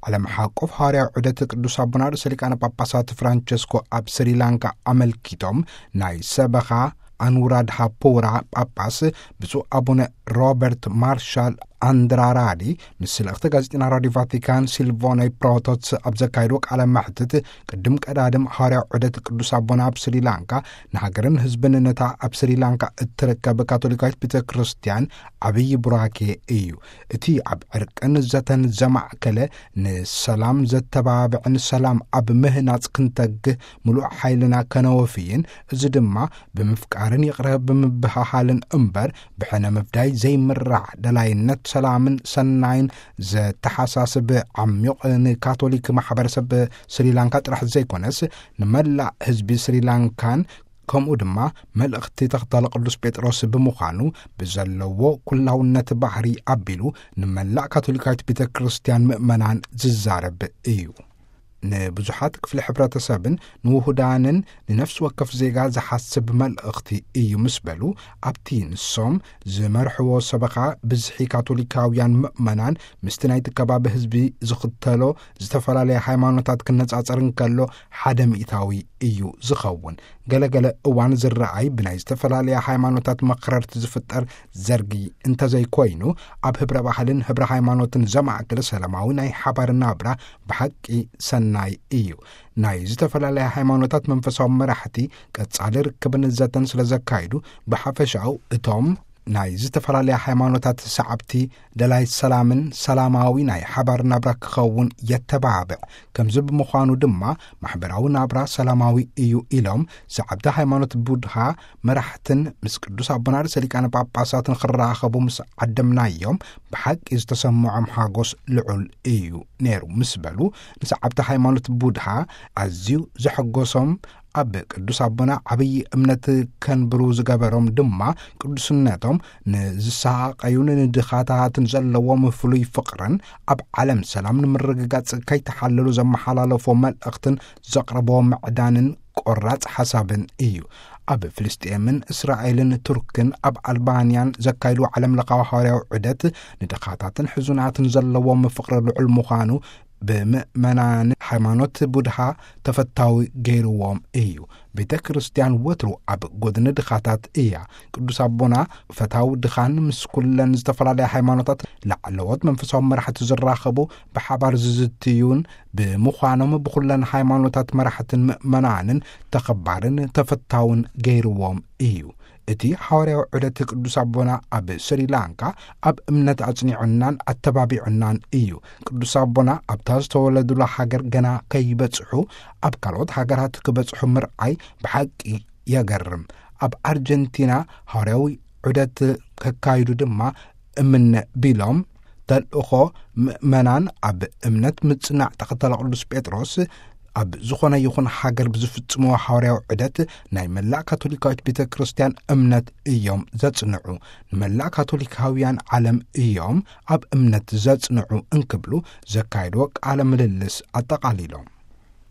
ዓለም ሓቆፍ ሃዋርያዊ ዑደት ቅዱስ ኣቦና ርእሰ ሊቃነ ጳጳሳት ፍራንቸስኮ ኣብ ስሪላንካ ኣመልኪቶም፣ ናይ ሰበኻ ኣኑራድሃ ፖራ ጳጳስ ብፁዕ ኣቡነ ሮበርት ማርሻል ኣንድራራዲ ምስ ልእኽቲ ጋዜጠና ራዲዮ ቫቲካን ሲልቮኔ ፕሮቶትስ ኣብ ዘካየድዎ ቃለ መሕትት፣ ቅድም ቀዳድም ሃዋርያዊ ዑደት ቅዱስ ኣቦና ኣብ ስሪላንካ ንሃገርን ህዝብን ነታ ኣብ ስሪላንካ እትርከብ ካቶሊካዊት ቤተ ክርስቲያን ዓብዪ ቡራኬ እዩ። እቲ ኣብ ዕርቅን ዘተን ዘማእከለ፣ ንሰላም ዘተባብዕን ሰላም ኣብ ምህናጽ ክንተግህ ምሉእ ሓይልና ከነወፍይን፣ እዚ ድማ ብምፍቃርን ይቕረ ብምብሃሃልን እምበር፣ ብሕነ ምፍዳይ ዘይምራሕ ደላይነት ሰላምን ሰናይን ዘተሓሳስብ ዓሚቕ፣ ንካቶሊክ ማሕበረሰብ ስሪላንካ ጥራሕ ዘይኮነስ፣ ንመላእ ህዝቢ ስሪላንካን፣ ከምኡ ድማ መልእኽቲ ተኸታሊ ቅዱስ ጴጥሮስ ብምዃኑ፣ ብዘለዎ ኩላውነት ባህሪ ኣቢሉ ንመላእ ካቶሊካዊት ቤተ ክርስቲያን ምእመናን ዝዛረብ እዩ። ንብዙሓት ክፍሊ ሕብረተሰብን ንውሁዳንን ንነፍሲ ወከፍ ዜጋ ዝሓስብ መልእኽቲ እዩ ምስ በሉ፣ ኣብቲ ንሶም ዝመርሕዎ ሰበኻ ብዝሒ ካቶሊካውያን ምእመናን ምስቲ ናይቲ ከባቢ ህዝቢ ዝኽተሎ ዝተፈላለያ ሃይማኖታት ክነጻጸር እንከሎ ሓደ ሚእታዊ እዩ ዝኸውን። ገለገለ እዋን ዝረኣይ ብናይ ዝተፈላለያ ሃይማኖታት መኽረርቲ ዝፍጠር ዘርጊ እንተዘይኮይኑ፣ ኣብ ህብረ ባህልን ህብረ ሃይማኖትን ዘማእክል ሰላማዊ ናይ ሓባር ናብራ ብሓቂ ሰናይ እዩ። ናይ ዝተፈላለያ ሃይማኖታት መንፈሳዊ መራሕቲ ቀጻሊ ርክብን ዘተን ስለ ዘካይዱ፣ ብሓፈሻኡ እቶም ናይ ዝተፈላለያ ሃይማኖታት ሰዓብቲ ደላይ ሰላምን ሰላማዊ ናይ ሓባር ናብራ ክኸውን የተባብዕ። ከምዚ ብምዃኑ ድማ ማሕበራዊ ናብራ ሰላማዊ እዩ ኢሎም፣ ሰዓብቲ ሃይማኖት ቡድሃ መራሕትን ምስ ቅዱስ ኣቦና ርእሰ ሊቃነ ጳጳሳት ንኽራኸቡ ምስ ዓደምናዮም፣ ብሓቂ ዝተሰምዖም ሓጎስ ልዑል እዩ ነይሩ ምስ በሉ፣ ንሰዓብቲ ሃይማኖት ቡድሃ ኣዝዩ ዘሐጎሶም፣ ኣብ ቅዱስ ኣቦና ዓብዪ እምነት ከንብሩ ዝገበሮም ድማ ቅዱስነቶም ንዝሰሃቀዩን ንድኻታትን ዘለዎም ፍሉይ ፍቕርን ኣብ ዓለም ሰላም ንምርግጋጽ ከይተሓለሉ ዘመሓላለፎ መልእኽትን ዘቕረቦ ምዕዳንን ቆራጽ ሓሳብን እዩ። ኣብ ፍልስጤምን እስራኤልን ቱርክን ኣብ ኣልባንያን ዘካይዱ ዓለም ለኻዊ ሃዋርያዊ ዑደት ንድኻታትን ሕዙናትን ዘለዎም ፍቕሪ ልዑል ምዃኑ ብምእመናን ሃይማኖት ቡድሃ ተፈታዊ ገይርዎም እዩ። ቤተ ክርስቲያን ወትሩ ኣብ ጎድኒ ድኻታት እያ። ቅዱስ ኣቦና ፈታዊ ድኻን ምስ ኩለን ዝተፈላለያ ሃይማኖታት ላዕለዎት መንፈሳዊ መራሕቲ ዝራኸቡ፣ ብሓባር ዝዝትዩን ብምዃኖም ብኹለን ሃይማኖታት መራሕትን ምእመናንን ተኸባርን ተፈታውን ገይርዎም እዩ። እቲ ሃዋርያዊ ዑደት ቅዱስ ኣቦና ኣብ ስሪላንካ ኣብ እምነት ኣጽኒዑናን ኣተባቢዑናን እዩ። ቅዱስ ኣቦና ኣብታ ዝተወለዱላ ሃገር ገና ከይበጽሑ ኣብ ካልኦት ሃገራት ክበጽሑ ምርኣይ ብሓቂ የገርም። ኣብ ኣርጀንቲና ሃዋርያዊ ዑደት ከካይዱ ድማ እምነ ቢሎም፣ ተልእኾ ምእመናን ኣብ እምነት ምጽናዕ ተኸተለ ቅዱስ ጴጥሮስ ኣብ ዝኾነ ይኹን ሃገር ብዝፍጽምዎ ሃዋርያዊ ዑደት ናይ መላእ ካቶሊካዊት ቤተ ክርስቲያን እምነት እዮም ዘጽንዑ። ንመላእ ካቶሊካውያን ዓለም እዮም ኣብ እምነት ዘጽንዑ እንክብሉ ዘካየድዎ ቃለ ምልልስ ኣጠቓሊሎም።